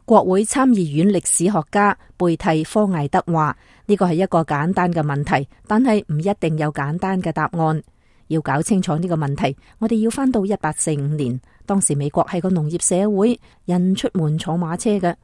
國會參議院歷史學家貝蒂科艾德話：呢個係一個簡單嘅問題，但係唔一定有簡單嘅答案。要搞清楚呢個問題，我哋要返到1845年，當時美國係個農業社會，人出門坐馬車嘅。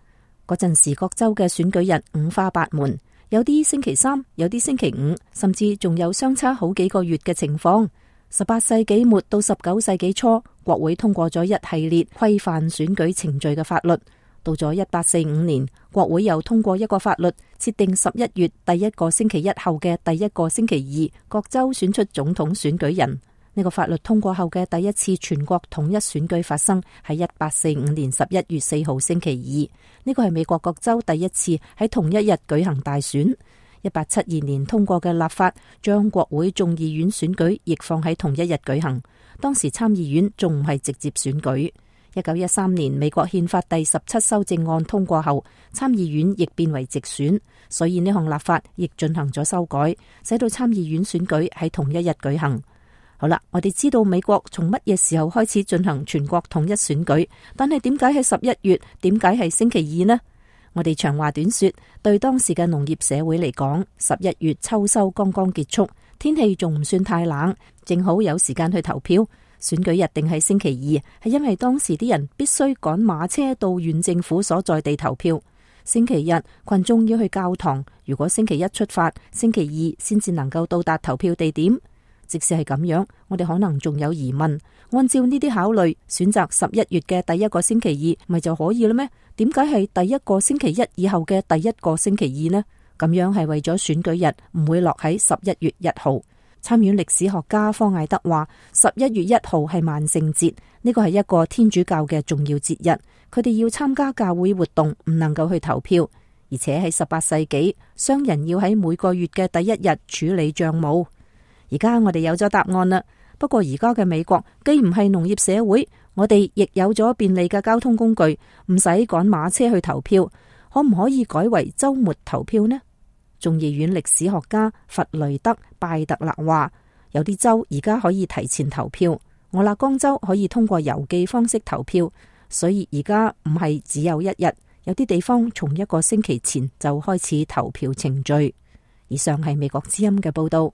嗰陣時各州嘅選舉日五花八門，有啲星期三，有啲星期五，甚至仲有相差好幾個月嘅情況。18世紀末到19世紀初，國會通過咗一系列規範選舉程序嘅法律。到咗1845年，國會又通過一個法律，設定11月第一個星期一後嘅第一個星期二，各州選出總統選舉人。呢個法律通過後嘅第一次全國統一選舉發生喺1845年11月4號星期二。呢個係美國各州第一次喺同一日舉行大選。1872年通過嘅立法將國會眾議院選舉亦放喺同一日舉行。當時參議院仲唔係直接選舉。1913年美國憲法第17修正案通過後，參議院亦變為直選，所以呢項立法亦進行咗修改，使到參議院選舉喺同一日舉行。好啦，我哋知道美國從乜嘢時候開始進行全國統一選舉，但係點解係11月？點解係星期二呢？我哋長話短說，對當時嘅農業社會嚟講，11月秋收剛剛結束，天氣仲唔算太冷，正好有時間去投票。選舉日定係星期二，係因為當時啲人必須趕馬車到縣政府所在地投票。星期日群眾要去教堂，如果星期一出發，星期二先至能夠到達投票地點。即使係咁樣，我哋可能仲有疑問。按照呢啲考慮，選擇11月嘅第一個星期二，咪就可以啦咩？點解係第一個星期一以後嘅第一個星期二呢？咁樣係為咗選舉日唔會落喺11月1號。參院歷史學家科艾德話：11月1號係萬聖節，呢個係一個天主教嘅重要節日，佢哋要參加教會活動，唔能夠去投票。而且喺18世紀，商人要喺每個月嘅第一日處理賬務。而家我哋有咗答案啦。不過而家嘅美國既唔係農業社會，我哋亦有咗便利嘅交通工具，唔使趕馬車去投票。可唔可以改為週末投票呢？眾議院歷史學家弗雷德拜特勒話：有啲州而家可以提前投票，俄勒岡州可以通過郵寄方式投票，所以而家唔係只有一日，有啲地方從一個星期前就開始投票程序。以上係美國之音嘅報道。